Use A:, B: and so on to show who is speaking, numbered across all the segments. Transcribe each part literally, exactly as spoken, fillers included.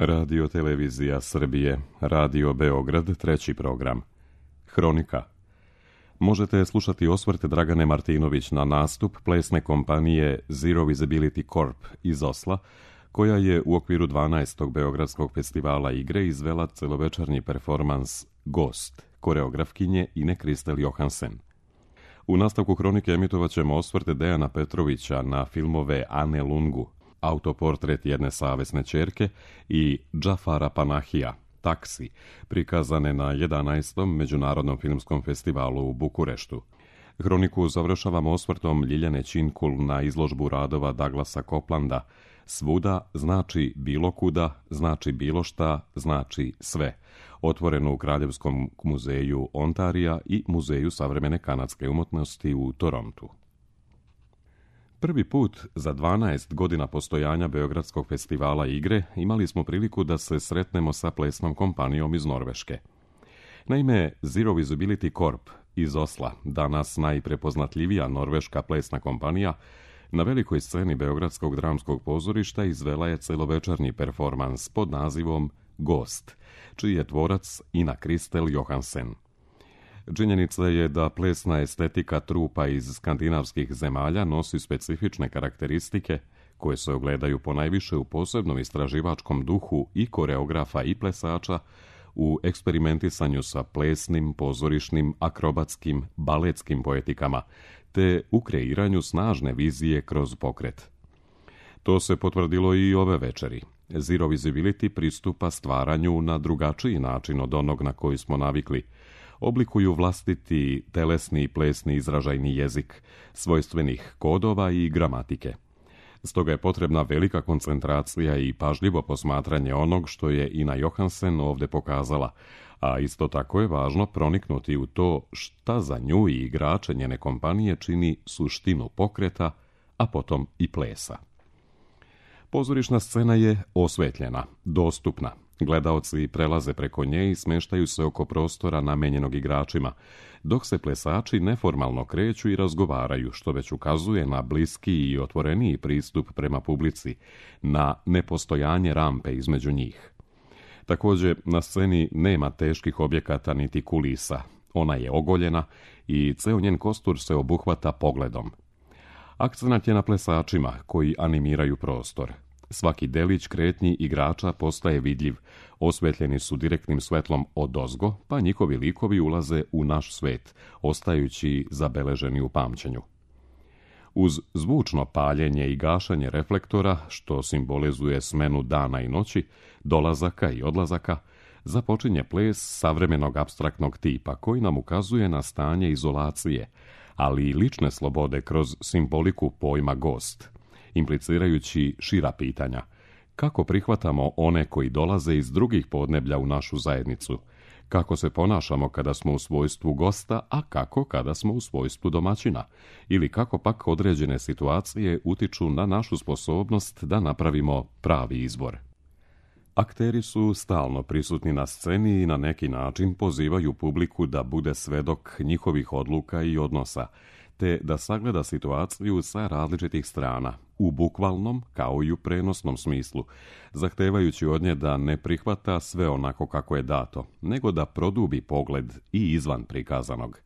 A: Radio Televizija Srbije, Radio Beograd, treći program. Hronika. Možete slušati osvrt Dragane Martinović na nastup plesne kompanije Zero Visibility Corp iz Osla, koja je u okviru dvanaestog Beogradskog festivala igre izvela celovečernji performans Gost, koreografkinje Ine Kristel Johansen. U nastavku hronike emitovat ćemo osvrt Dejana Petrovića na filmove Ane Lungu, Autoportret jedne savesne ćerke i Džafara Panahija, Taksi, prikazane na jedanaestom Međunarodnom filmskom festivalu u Bukureštu. Hroniku završavamo osvrtom Ljiljane Činkul na izložbu radova Douglasa Coplanda Svuda znači bilo kuda, znači bilo šta, znači sve, otvorenu u Kraljevskom muzeju Ontarija i Muzeju savremene kanadske umjetnosti u Torontu. Prvi put za dvanaest godina postojanja Beogradskog festivala igre imali smo priliku da se sretnemo sa plesnom kompanijom iz Norveške. Naime, Zero Visibility Corp iz Osla, danas najprepoznatljivija norveška plesna kompanija, na velikoj sceni Beogradskog dramskog pozorišta izvela je celovečernji performans pod nazivom Gost, čiji je tvorac Ina Kristel Johansen. Činjenica je da plesna estetika trupa iz skandinavskih zemalja nosi specifične karakteristike koje se ogledaju ponajviše u posebnom istraživačkom duhu i koreografa i plesača, u eksperimentisanju sa plesnim, pozorišnim, akrobatskim, baletskim poetikama, te u kreiranju snažne vizije kroz pokret. To se potvrdilo i ove večeri. Zero Visibility pristupa stvaranju na drugačiji način od onog na koji smo navikli. Oblikuju vlastiti telesni i plesni izražajni jezik, svojstvenih kodova i gramatike. Stoga je potrebna velika koncentracija i pažljivo posmatranje onog što je Ina Johansen ovdje pokazala, a isto tako je važno proniknuti u to šta za nju i igrače njene kompanije čini suštinu pokreta, a potom i plesa. Pozorišna scena je osvetljena, dostupna. Gledaoci prelaze preko nje i smeštaju se oko prostora namenjenog igračima, dok se plesači neformalno kreću i razgovaraju, što već ukazuje na bliski i otvoreniji pristup prema publici, na nepostojanje rampe između njih. Također, na sceni nema teških objekata niti kulisa. Ona je ogoljena i ceo njen kostur se obuhvata pogledom. Akcenat je na plesačima koji animiraju prostor. Svaki delić kretnji igrača postaje vidljiv, osvetljeni su direktnim svetlom odozgo, pa njihovi likovi ulaze u naš svet, ostajući zabeleženi u pamćenju. Uz zvučno paljenje i gašanje reflektora, što simbolizuje smenu dana i noći, dolazaka i odlazaka, započinje ples savremenog apstraktnog tipa koji nam ukazuje na stanje izolacije, ali i lične slobode kroz simboliku pojma gost, implicirajući šira pitanja. Kako prihvatamo one koji dolaze iz drugih podneblja u našu zajednicu? Kako se ponašamo kada smo u svojstvu gosta, a kako kada smo u svojstvu domaćina? Ili kako pak određene situacije utiču na našu sposobnost da napravimo pravi izbor? Akteri su stalno prisutni na sceni i na neki način pozivaju publiku da bude svedok njihovih odluka i odnosa, te da sagleda situaciju sa različitih strana, u bukvalnom kao i u prenosnom smislu, zahtevajući od nje da ne prihvata sve onako kako je dato, nego da produbi pogled i izvan prikazanog.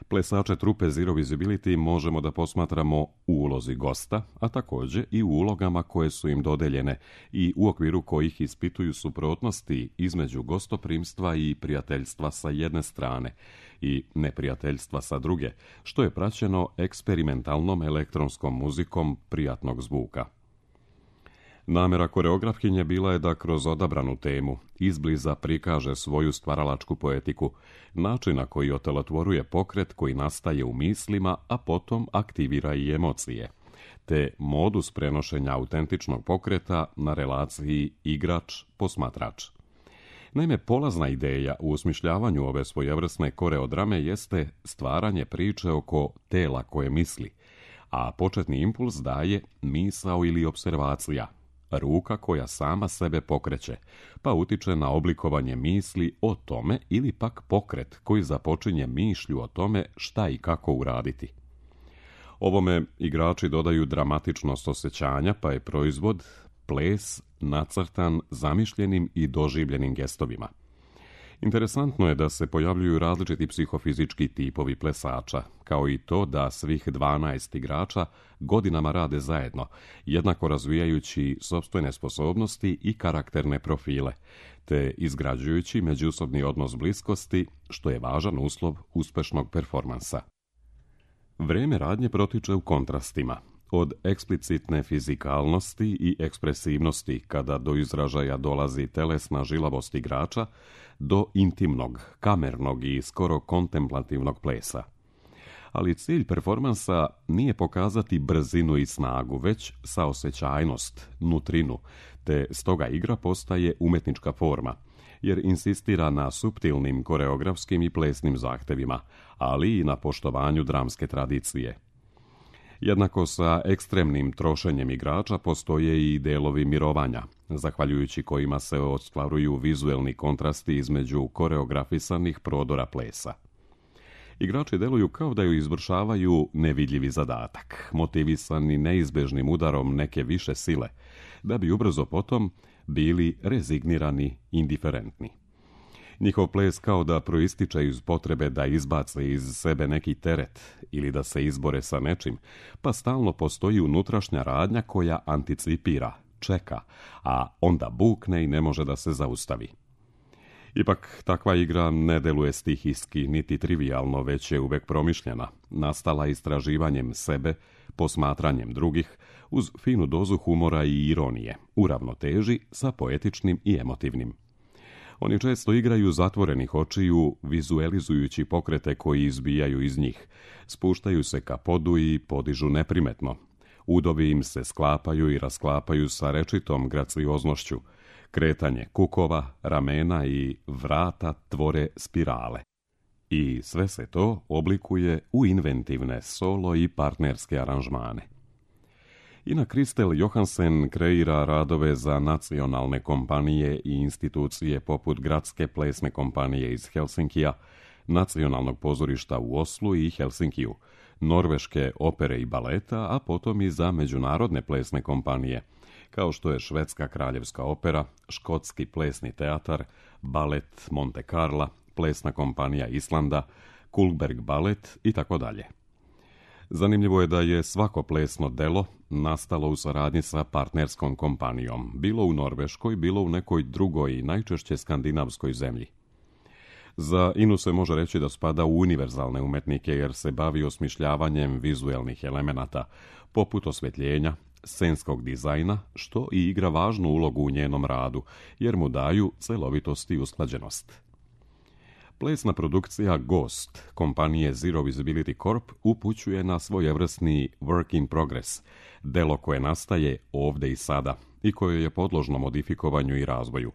A: Plesače trupe Zero Visibility možemo da posmatramo u ulozi gosta, a također i u ulogama koje su im dodeljene i u okviru kojih ispituju suprotnosti između gostoprimstva i prijateljstva sa jedne strane i neprijateljstva sa druge, što je praćeno eksperimentalnom elektronskom muzikom prijatnog zvuka. Namera koreografkinje bila je da kroz odabranu temu izbliza prikaže svoju stvaralačku poetiku, način na koji otelotvoruje pokret koji nastaje u mislima, a potom aktivira i emocije, te modus prenošenja autentičnog pokreta na relaciji igrač-posmatrač. Naime, polazna ideja u osmišljavanju ove svojevrsne koreodrame jeste stvaranje priče oko tela koje misli, a početni impuls daje misao ili observacija, ruka koja sama sebe pokreće, pa utiče na oblikovanje misli o tome ili pak pokret koji započinje mišlju o tome šta i kako uraditi. Ovome igrači dodaju dramatičnost osjećanja, pa je proizvod ples nacrtan zamišljenim i doživljenim gestovima. Interesantno je da se pojavljuju različiti psihofizički tipovi plesača, kao i to da svih dvanaest igrača godinama rade zajedno, jednako razvijajući sopstvene sposobnosti i karakterne profile, te izgrađujući međusobni odnos bliskosti, što je važan uslov uspešnog performansa. Vrijeme radnje protiče u kontrastima, od eksplicitne fizikalnosti i ekspresivnosti kada do izražaja dolazi telesna žilavost igrača, do intimnog, kamernog i skoro kontemplativnog plesa. Ali cilj performansa nije pokazati brzinu i snagu, već saosećajnost, nutrinu, te stoga igra postaje umetnička forma, jer insistira na suptilnim koreografskim i plesnim zahtevima, ali i na poštovanju dramske tradicije. Jednako sa ekstremnim trošenjem igrača postoje i delovi mirovanja, zahvaljujući kojima se ostvaruju vizuelni kontrasti između koreografisanih prodora plesa. Igrači deluju kao da ju izvršavaju nevidljivi zadatak, motivisani neizbežnim udarom neke više sile, da bi ubrzo potom bili rezignirani, indiferentni. Njihov ples kao da proističe iz potrebe da izbace iz sebe neki teret ili da se izbore sa nečim, pa stalno postoji unutrašnja radnja koja anticipira, čeka, a onda bukne i ne može da se zaustavi. Ipak, takva igra ne deluje stihijski niti trivijalno, već je uvek promišljena, nastala istraživanjem sebe, posmatranjem drugih, uz finu dozu humora i ironije, u ravnoteži sa poetičnim i emotivnim. Oni često igraju zatvorenih očiju, vizuelizujući pokrete koji izbijaju iz njih, spuštaju se ka podu i podižu neprimetno. Udovi im se sklapaju i rasklapaju sa rečitom gracioznošću. Kretanje kukova, ramena i vrata tvore spirale. I sve se to oblikuje u inventivne solo i partnerske aranžmane. Ina Kristel Johansen kreira radove za nacionalne kompanije i institucije poput Gradske plesne kompanije iz Helsinkija, Nacionalnog pozorišta u Oslu i Helsinkiju, Norveške opere i baleta, a potom i za međunarodne plesne kompanije, kao što je Švedska kraljevska opera, Škotski plesni teatar, balet Monte Carla, plesna kompanija Islanda, Kullberg balet i tako dalje. Zanimljivo je da je svako plesno delo nastalo u saradnji sa partnerskom kompanijom, bilo u Norveškoj, bilo u nekoj drugoj, najčešće skandinavskoj zemlji. Za Inu se može reći da spada u univerzalne umetnike jer se bavi osmišljavanjem vizuelnih elemenata, poput osvetljenja, scenskog dizajna, što i igra važnu ulogu u njenom radu, jer mu daju celovitost i usklađenost. Plesna produkcija Ghost kompanije Zero Visibility Corp upućuje na svojevrsni work in progress, delo koje nastaje ovde i sada i koje je podložno modifikovanju i razvoju.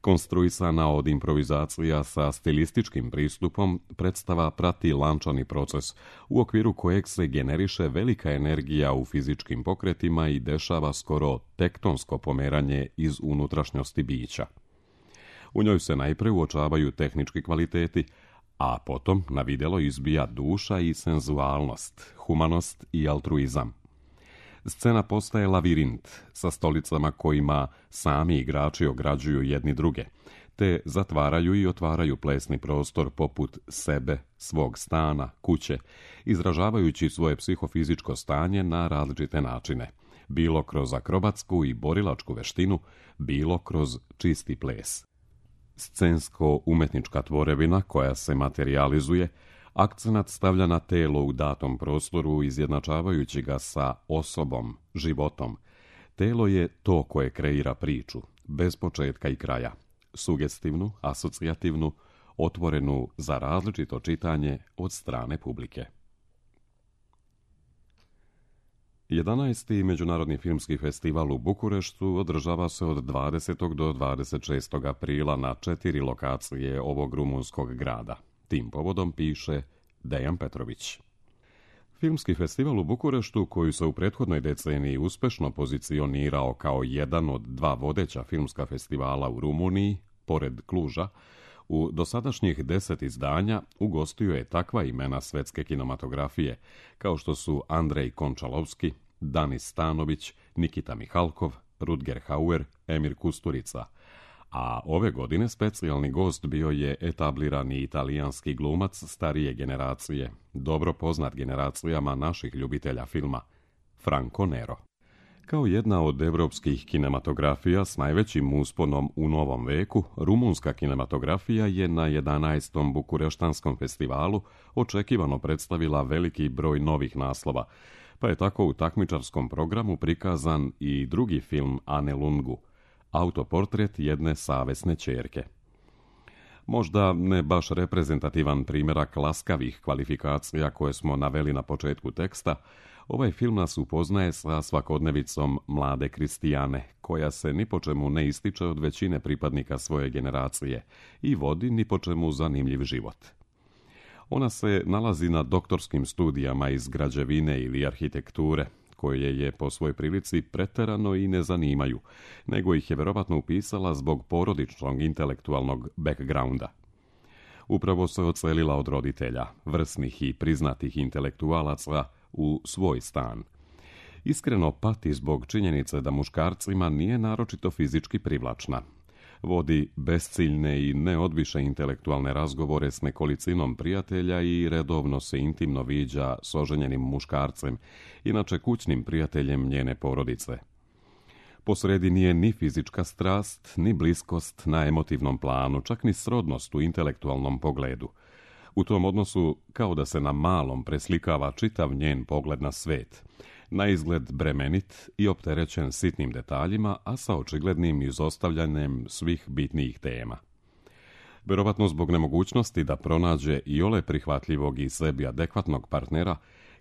A: Konstruisana od improvizacija sa stilističkim pristupom, predstava prati lančani proces, u okviru kojeg se generiše velika energija u fizičkim pokretima i dešava skoro tektonsko pomeranje iz unutrašnjosti bića. U njoj se najpre uočavaju tehnički kvaliteti, a potom na vidjelo izbija duša i senzualnost, humanost i altruizam. Scena postaje lavirint sa stolicama kojima sami igrači ograđuju jedni druge, te zatvaraju i otvaraju plesni prostor poput sebe, svog stana, kuće, izražavajući svoje psihofizičko stanje na različite načine, bilo kroz akrobatsku i borilačku veštinu, bilo kroz čisti ples. Scensko-umetnička tvorevina koja se materializuje, akcenat stavlja na telo u datom prostoru, izjednačavajući ga sa osobom, životom. Telo je to koje kreira priču, bez početka i kraja, sugestivnu, asocijativnu, otvorenu za različito čitanje od strane publike. jedanaesti. Međunarodni filmski festival u Bukureštu održava se od dvadesetog do dvadeset šestog aprila na četiri lokacije ovog rumunskog grada. Tim povodom piše Dejan Petrović. Filmski festival u Bukureštu, koji se u prethodnoj deceniji uspešno pozicionirao kao jedan od dva vodeća filmska festivala u Rumuniji, pored Kluža, u dosadašnjih deset izdanja ugostio je takva imena svetske kinematografije, kao što su Andrej Končalovski, Danis Stanović, Nikita Mihalkov, Rutger Hauer, Emir Kusturica, a ove godine specijalni gost bio je etablirani italijanski glumac starije generacije, dobro poznat generacijama naših ljubitelja filma, Franco Nero. Kao jedna od evropskih kinematografija s najvećim usponom u novom veku, rumunska kinematografija je na jedanaestom Bukureštanskom festivalu očekivano predstavila veliki broj novih naslova, pa je tako u takmičarskom programu prikazan i drugi film Ane Lungu, autoportret jedne savesne ćerke. Možda ne baš reprezentativan primjerak laskavih kvalifikacija koje smo naveli na početku teksta, ovaj film nas upoznaje sa svakodnevicom mlade Kristijane, koja se ni po čemu ne ističe od većine pripadnika svoje generacije i vodi ni po čemu zanimljiv život. Ona se nalazi na doktorskim studijama iz građevine ili arhitekture, koje je po svojoj prilici preterano i ne zanimaju, nego ih je verovatno upisala zbog porodičnog intelektualnog backgrounda. Upravo se odselila od roditelja, vrsnih i priznatih intelektualaca, u svoj stan. Iskreno pati zbog činjenice da muškarcima nije naročito fizički privlačna. Vodi besciljne i neodviše intelektualne razgovore s nekolicinom prijatelja i redovno se intimno viđa s oženjenim muškarcem, inače kućnim prijateljem njene porodice. Posredi nije ni fizička strast, ni bliskost na emotivnom planu, čak ni srodnost u intelektualnom pogledu. U tom odnosu kao da se na malom preslikava čitav njen pogled na svet, na izgled bremenit i opterećen sitnim detaljima, a sa očiglednim izostavljanjem svih bitnijih tema. Verovatno zbog nemogućnosti da pronađe iole prihvatljivog i sebi adekvatnog partnera,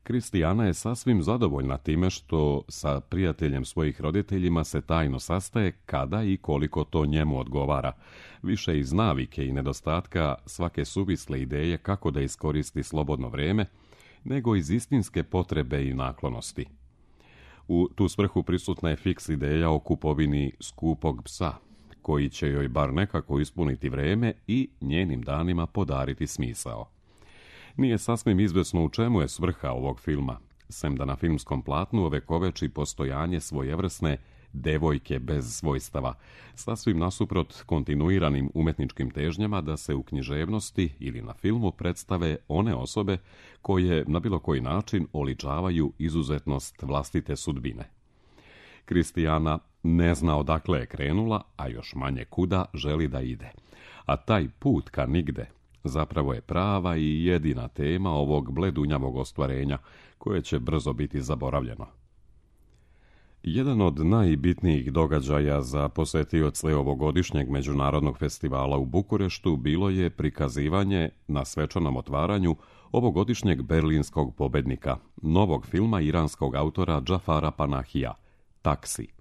A: Kristijana je sasvim zadovoljna time što sa prijateljem svojih roditeljima se tajno sastaje kada i koliko to njemu odgovara, više iz navike i nedostatka svake suvisle ideje kako da iskoristi slobodno vrijeme, nego iz istinske potrebe i naklonosti. U tu svrhu prisutna je fiks ideja o kupovini skupog psa, koji će joj bar nekako ispuniti vrijeme i njenim danima podariti smisao. Nije sasvim izvesno u čemu je svrha ovog filma, sem da na filmskom platnu ovekoveči postojanje svojevrsne devojke bez svojstava, sasvim nasuprot kontinuiranim umetničkim težnjama da se u književnosti ili na filmu predstave one osobe koje na bilo koji način oličavaju izuzetnost vlastite sudbine. Kristijana ne zna odakle je krenula, a još manje kuda želi da ide, a taj put ka nigde zapravo je prava i jedina tema ovog bledunjavog ostvarenja, koje će brzo biti zaboravljeno. Jedan od najbitnijih događaja za posetioce ovogodišnjeg međunarodnog festivala u Bukureštu bilo je prikazivanje na svečanom otvaranju ovogodišnjeg berlinskog pobednika, novog filma iranskog autora Džafara Panahija, Taksi.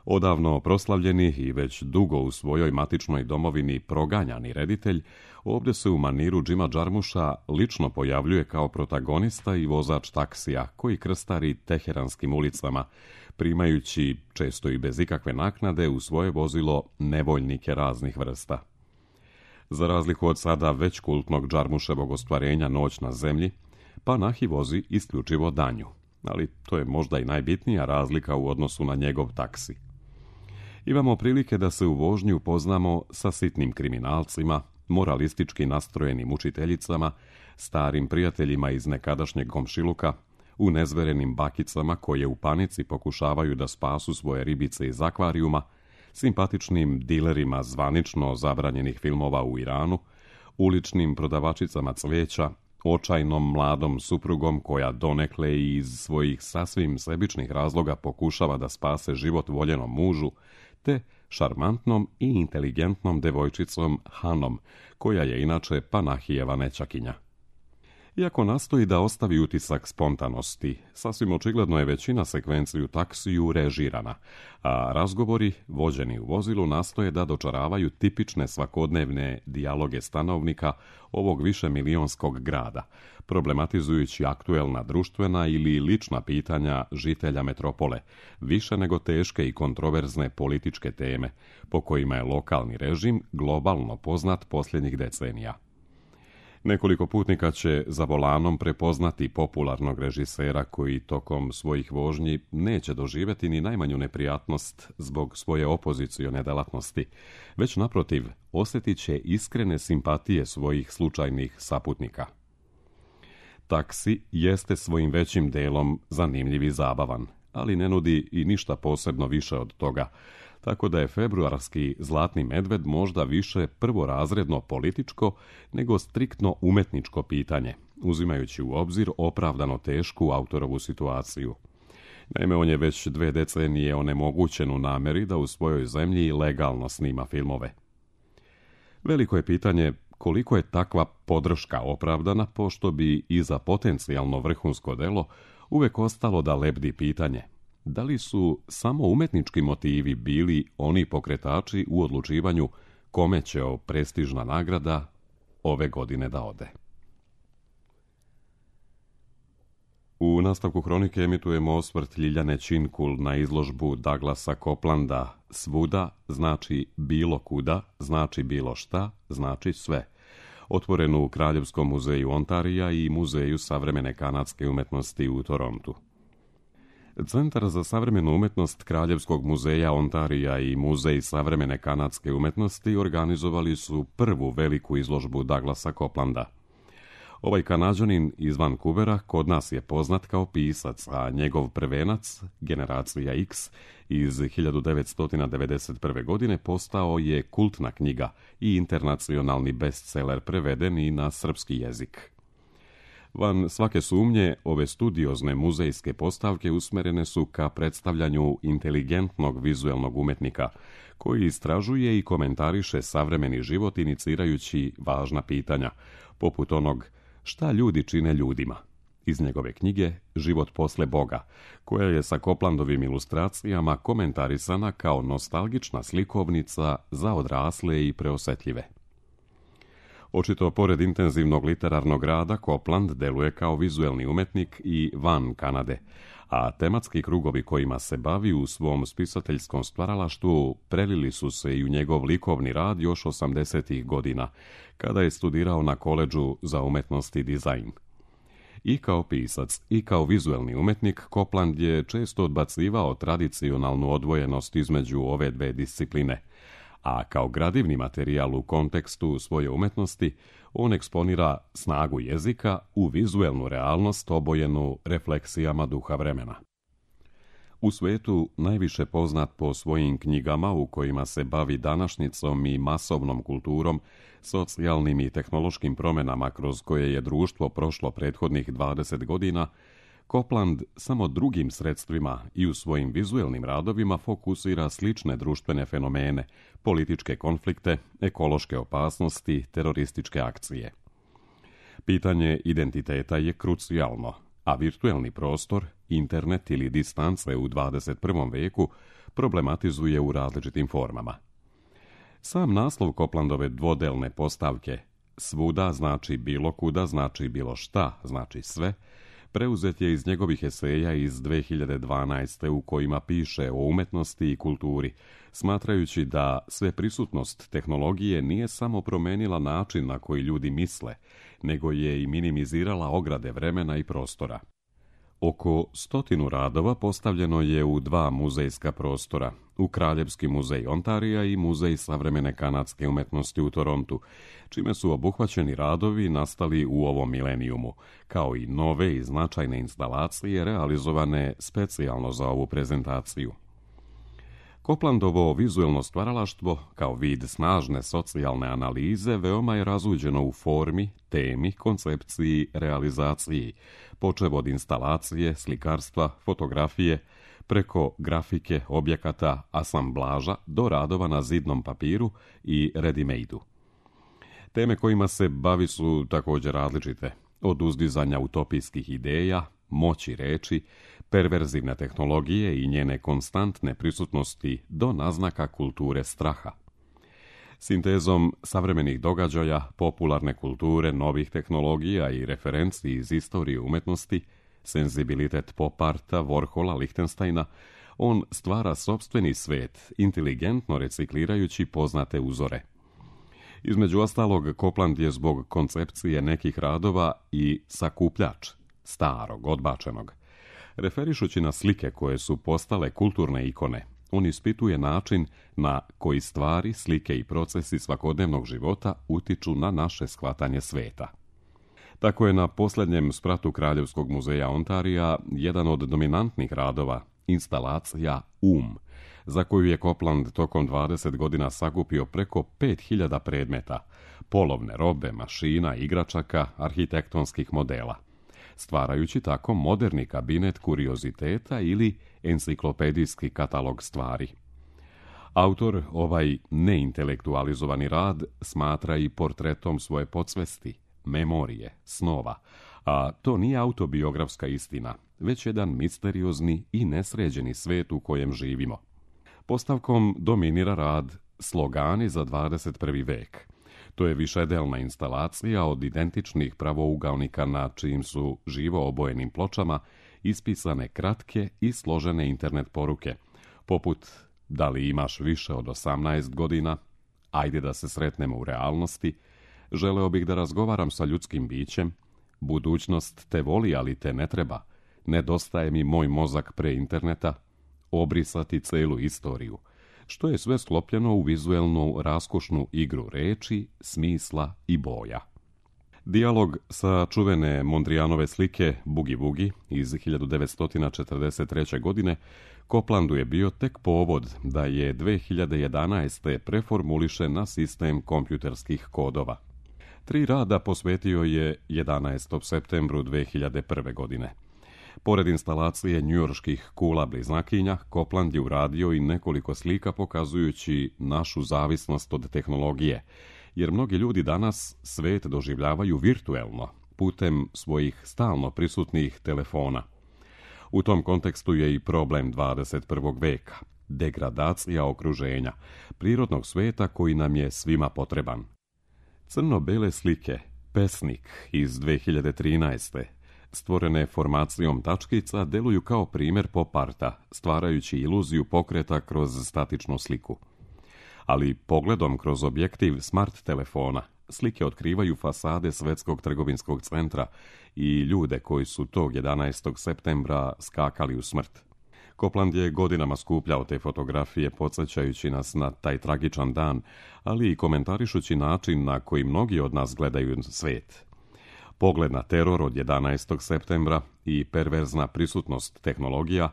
A: Odavno proslavljeni i već dugo u svojoj matičnoj domovini proganjani reditelj, ovdje se u maniru Džima Džarmuša lično pojavljuje kao protagonista i vozač taksija koji krstari teheranskim ulicama, primajući, često i bez ikakve naknade, u svoje vozilo nevoljnike raznih vrsta. Za razliku od sada već kultnog Džarmuševog ostvarenja Noć na zemlji, Panahi vozi isključivo danju, ali to je možda i najbitnija razlika u odnosu na njegov taksi. Imamo prilike da se u vožnji upoznamo sa sitnim kriminalcima, moralistički nastrojenim učiteljicama, starim prijateljima iz nekadašnjeg komšiluka, unezverenim bakicama koje u panici pokušavaju da spasu svoje ribice iz akvarijuma, simpatičnim dilerima zvanično zabranjenih filmova u Iranu, uličnim prodavačicama cvijeća, očajnom mladom suprugom koja donekle i iz svojih sasvim sebičnih razloga pokušava da spase život voljenom mužu, te šarmantnom i inteligentnom devojčicom Hanom, koja je inače Panahijeva nećakinja. Iako nastoji da ostavi utisak spontanosti, sasvim očigledno je većina sekvenci u taksiju režirana, a razgovori, vođeni u vozilu, nastoje da dočaravaju tipične svakodnevne dijaloge stanovnika ovog višemilionskog grada, problematizujući aktuelna društvena ili lična pitanja žitelja metropole, više nego teške i kontroverzne političke teme, po kojima je lokalni režim globalno poznat posljednjih decenija. Nekoliko putnika će za volanom prepoznati popularnog režisera koji tokom svojih vožnji neće doživjeti ni najmanju neprijatnost zbog svoje opozicione delatnosti, već naprotiv osjetit će iskrene simpatije svojih slučajnih saputnika. Taksi jeste svojim većim delom zanimljiv i zabavan, ali ne nudi i ništa posebno više od toga, tako da je februarski Zlatni medved možda više prvorazredno političko nego striktno umetničko pitanje, uzimajući u obzir opravdano tešku autorovu situaciju. Naime, on je već dve decenije onemogućen u namjeri da u svojoj zemlji legalno snima filmove. Veliko je pitanje koliko je takva podrška opravdana, pošto bi i za potencijalno vrhunsko delo uvek ostalo da lebdi pitanje da li su samo umetnički motivi bili oni pokretači u odlučivanju kome će o prestižna nagrada ove godine da ode. U nastavku hronike emitujemo osvrt Ljiljane Činkul na izložbu Douglasa Coplanda Svuda znači bilo kuda, znači bilo šta, znači sve, otvorenu u Kraljevskom muzeju Ontarija i Muzeju savremene kanadske umetnosti u Torontu. Centar za savremenu umetnost Kraljevskog muzeja Ontarija i Muzej savremene kanadske umetnosti organizovali su prvu veliku izložbu Douglasa Coplanda. Ovaj Kanađanin iz Vancouvera kod nas je poznat kao pisac, a njegov prvenac, Generacija X, iz hiljadu devetsto devedeset prve. godine postao je kultna knjiga i internacionalni bestseller preveden i na srpski jezik. Van svake sumnje, ove studiozne muzejske postavke usmerene su ka predstavljanju inteligentnog vizuelnog umetnika, koji istražuje i komentariše savremeni život inicirajući važna pitanja, poput onog šta ljudi čine ljudima, iz njegove knjige Život posle Boga, koja je sa Coplandovim ilustracijama komentarisana kao nostalgična slikovnica za odrasle i preosetljive. Očito, pored intenzivnog literarnog rada, Copland deluje kao vizuelni umetnik i van Kanade, a tematski krugovi kojima se bavi u svom spisateljskom stvaralaštvu prelili su se i u njegov likovni rad još osamdesetih godina, kada je studirao na koledžu za umetnost i dizajn. I kao pisac, i kao vizuelni umetnik, Copland je često odbacivao tradicionalnu odvojenost između ove dve discipline, a kao gradivni materijal u kontekstu svoje umetnosti, on eksponira snagu jezika u vizuelnu realnost obojenu refleksijama duha vremena. U svetu najviše poznat po svojim knjigama u kojima se bavi današnjicom i masovnom kulturom, socijalnim i tehnološkim promjenama kroz koje je društvo prošlo prethodnih dvadeset godina, Copland samo drugim sredstvima i u svojim vizuelnim radovima fokusira slične društvene fenomene, političke konflikte, ekološke opasnosti, terorističke akcije. Pitanje identiteta je krucijalno, a virtuelni prostor, internet ili distance u dvadeset prvom veku problematizuje u različitim formama. Sam naslov Coplandove dvodelne postavke Svuda znači bilo kuda, znači bilo šta, znači sve, preuzet je iz njegovih eseja iz dve hiljade dvanaeste. u kojima piše o umetnosti i kulturi, smatrajući da sveprisutnost tehnologije nije samo promenila način na koji ljudi misle, nego je i minimizirala ograde vremena i prostora. Oko stotinu radova postavljeno je u dva muzejska prostora, u Kraljevski muzej Ontarija i Muzej savremene kanadske umetnosti u Torontu, čime su obuhvaćeni radovi nastali u ovom milenijumu, kao i nove i značajne instalacije realizovane specijalno za ovu prezentaciju. Coplandovo vizuelno stvaralaštvo, kao vid snažne socijalne analize, veoma je razuđeno u formi, temi, koncepciji, realizaciji, počev od instalacije, slikarstva, fotografije, preko grafike, objekata, asamblaža do radova na zidnom papiru i ready-made-u. Teme kojima se bavi su također različite, od uzdizanja utopijskih ideja, moći reči, perverzivne tehnologije i njene konstantne prisutnosti do naznaka kulture straha. Sintezom savremenih događaja, popularne kulture, novih tehnologija i referenci iz istorije umetnosti, senzibilitet pop arta, Warhola, Lichtensteina, on stvara sopstveni svet, inteligentno reciklirajući poznate uzore. Između ostalog, Copland je zbog koncepcije nekih radova i sakupljač starog, odbačenog. Referišući na slike koje su postale kulturne ikone, on ispituje način na koji stvari, slike i procesi svakodnevnog života utiču na naše shvatanje sveta. Tako je na posljednjem spratu Kraljevskog muzeja Ontarija jedan od dominantnih radova instalacija Um, za koju je Copland tokom dvadeset godina sakupio preko pet hiljada predmeta, polovne robe, mašina, igračaka, arhitektonskih modela, stvarajući tako moderni kabinet kurioziteta ili enciklopedijski katalog stvari. Autor ovaj neintelektualizovani rad smatra i portretom svoje podsvesti, memorije, snova, a to nije autobiografska istina, već jedan misteriozni i nesređeni svet u kojem živimo. Postavkom dominira rad Slogani za dvadeset prvi vek. To je višedelna instalacija od identičnih pravougaonika na čijim su živo obojenim pločama ispisane kratke i složene internet poruke, poput da li imaš više od osamnaest godina, ajde da se sretnemo u realnosti, želeo bih da razgovaram sa ljudskim bićem, budućnost te voli, ali te ne treba, nedostaje mi moj mozak pre interneta, obrisati celu istoriju, što je sve sklopljeno u vizuelnu raskošnu igru reči, smisla i boja. Dijalog sa čuvene Mondrianove slike Bugi Bugi iz hiljadu devetsto četrdeset treće. godine Coplandu je bio tek povod da je dve hiljade jedanaeste. preformuliše na sistem kompjuterskih kodova. Tri rada posvetio je jedanaestom septembru dve hiljade prve. godine. Pored instalacije njujorških kula bliznakinja, Copland je uradio i nekoliko slika pokazujući našu zavisnost od tehnologije, jer mnogi ljudi danas svet doživljavaju virtuelno, putem svojih stalno prisutnih telefona. U tom kontekstu je i problem dvadeset prvog veka, degradacija okruženja, prirodnog sveta koji nam je svima potreban. Crno-bele slike, Pesnik iz dve hiljade trinaeste. stvorene formacijom tačkica, deluju kao primjer pop arta, stvarajući iluziju pokreta kroz statičnu sliku. Ali pogledom kroz objektiv smart telefona, slike otkrivaju fasade Svetskog trgovinskog centra i ljude koji su tog jedanaestog septembra skakali u smrt. Copland je godinama skupljao te fotografije, podsjećajući nas na taj tragičan dan, ali i komentarišući način na koji mnogi od nas gledaju svet. Pogled na teror od jedanaestog septembra i perverzna prisutnost tehnologija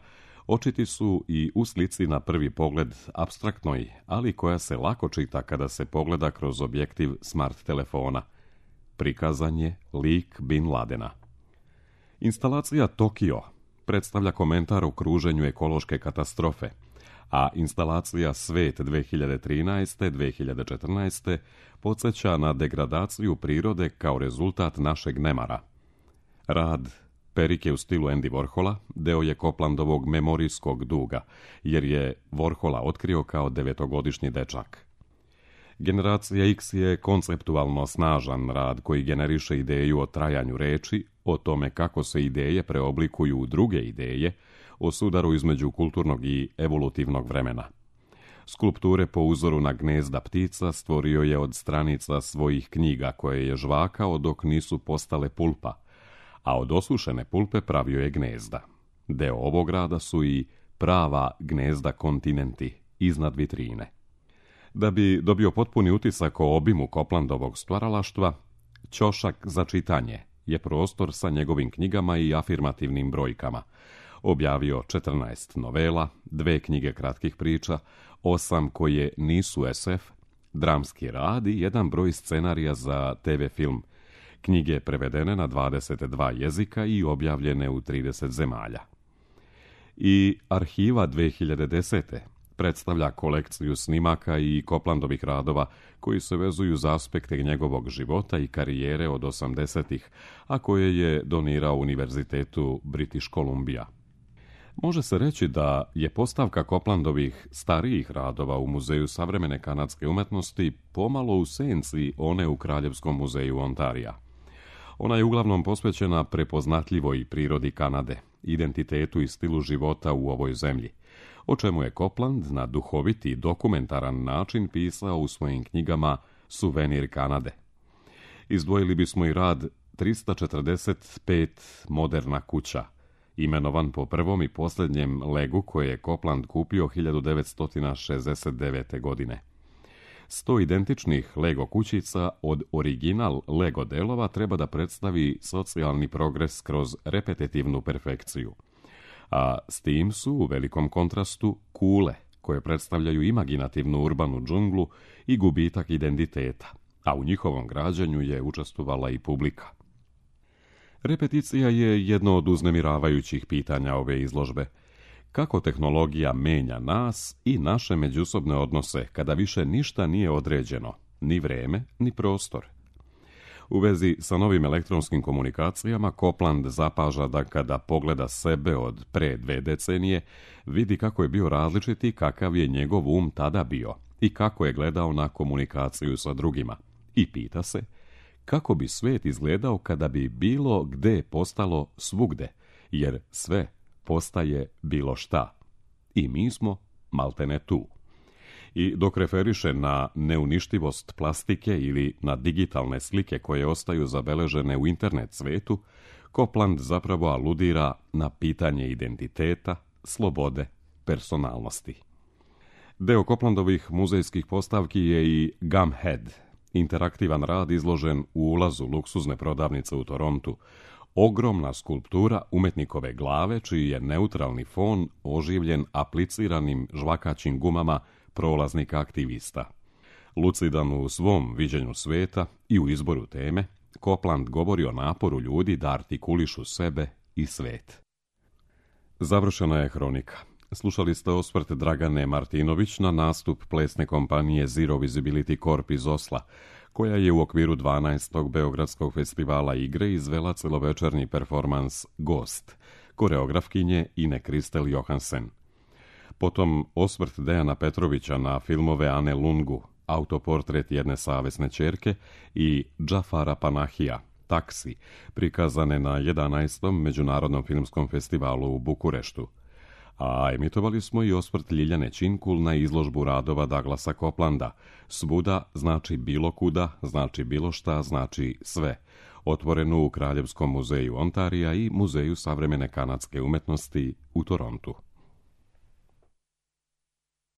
A: očiti su i u slici na prvi pogled apstraktnoj, ali koja se lako čita kada se pogleda kroz objektiv smart telefona. Prikazan je lik Bin Ladena. Instalacija Tokio predstavlja komentar o kruženju ekološke katastrofe, a instalacija Svet dve hiljade trinaeste. do dve hiljade četrnaeste. podsjeća na degradaciju prirode kao rezultat našeg nemara. Rad Perike u stilu Andy Warhola deo je Coplandovog memorijskog duga, jer je Warhola otkrio kao devetogodišnji dečak. Generacija X je konceptualno snažan rad koji generiše ideju o trajanju reči, o tome kako se ideje preoblikuju u druge ideje, o sudaru između kulturnog i evolutivnog vremena. Skulpture po uzoru na gnezda ptica stvorio je od stranica svojih knjiga koje je žvakao dok nisu postale pulpa, a od osušene pulpe pravio je gnezda. Deo ovog rada su i prava gnezda kontinenti iznad vitrine. Da bi dobio potpuni utisak o obimu Coplandovog stvaralaštva, ćošak za čitanje je prostor sa njegovim knjigama i afirmativnim brojkama. Objavio četrnaest novela, dve knjige kratkih priča, osam koje nisu es ef, dramski rad i jedan broj scenarija za te ve film. Knjige prevedene na dvadeset dva jezika i objavljene u trideset zemalja. I Arhiva dve hiljade desete. predstavlja kolekciju snimaka i Coplandovih radova koji se vezuju za aspekte njegovog života i karijere od osamdesetih, a koje je donirao Univerzitetu British Columbia. Može se reći da je postavka Coplandovih starijih radova u Muzeju savremene kanadske umetnosti pomalo u senci one u Kraljevskom muzeju Ontarija. Ona je uglavnom posvećena prepoznatljivoj prirodi Kanade, identitetu i stilu života u ovoj zemlji, o čemu je Copland na duhoviti i dokumentaran način pisao u svojim knjigama suvenir Kanade. Izdvojili bismo i rad trista četrdeset pet Moderna kuća, imenovan po prvom i posljednjem Legu koje je Copland kupio hiljadu devetsto šezdeset devete. godine. Sto identičnih Lego kućica od original Lego delova treba da predstavi socijalni progres kroz repetitivnu perfekciju. A s tim su u velikom kontrastu kule, koje predstavljaju imaginativnu urbanu džunglu i gubitak identiteta, a u njihovom građanju je učestvovala i publika. Repeticija je jedno od uznemiravajućih pitanja ove izložbe. Kako tehnologija menja nas i naše međusobne odnose kada više ništa nije određeno, ni vreme, ni prostor. U vezi sa novim elektronskim komunikacijama, Copland zapaža da kada pogleda sebe od pre dve decenije, vidi kako je bio različit i kakav je njegov um tada bio i kako je gledao na komunikaciju sa drugima. I pita se, kako bi svet izgledao kada bi bilo gde postalo svugde, jer sve postaje bilo šta. I mi smo maltene tu. I dok referiše na neuništivost plastike ili na digitalne slike koje ostaju zabeležene u internet svetu, Copland zapravo aludira na pitanje identiteta, slobode, personalnosti. Deo Coplandovih muzejskih postavki je i Gumhead, interaktivan rad izložen u ulazu luksuzne prodavnice u Torontu, ogromna skulptura umetnikove glave čiji je neutralni fon oživljen apliciranim žvakaćim gumama prolaznika aktivista. Lucidan u svom viđenju sveta i u izboru teme, Copland govori o naporu ljudi da artikulišu sebe i svet. Završena je hronika. Slušali ste osvrt Dragane Martinović na nastup plesne kompanije Zero Visibility Corp iz Osla, koja je u okviru dvanaestog Beogradskog festivala igre izvela celovečernji performans Ghost, koreografkinje Ine Kristel Johansen. Potom osvrt Dejana Petrovića na filmove Ane Lungu, autoportret jedne savesne ćerke i Džafara Panahija, Taksi, prikazane na jedanaestom Međunarodnom filmskom festivalu u Bukureštu. A emitovali smo i osvrt Ljiljane Činkul na izložbu radova Douglasa Coplanda. Svuda znači bilo kuda, znači bilo šta, znači sve. Otvorenu u Kraljevskom muzeju Ontarija i Muzeju savremene kanadske umetnosti u Torontu.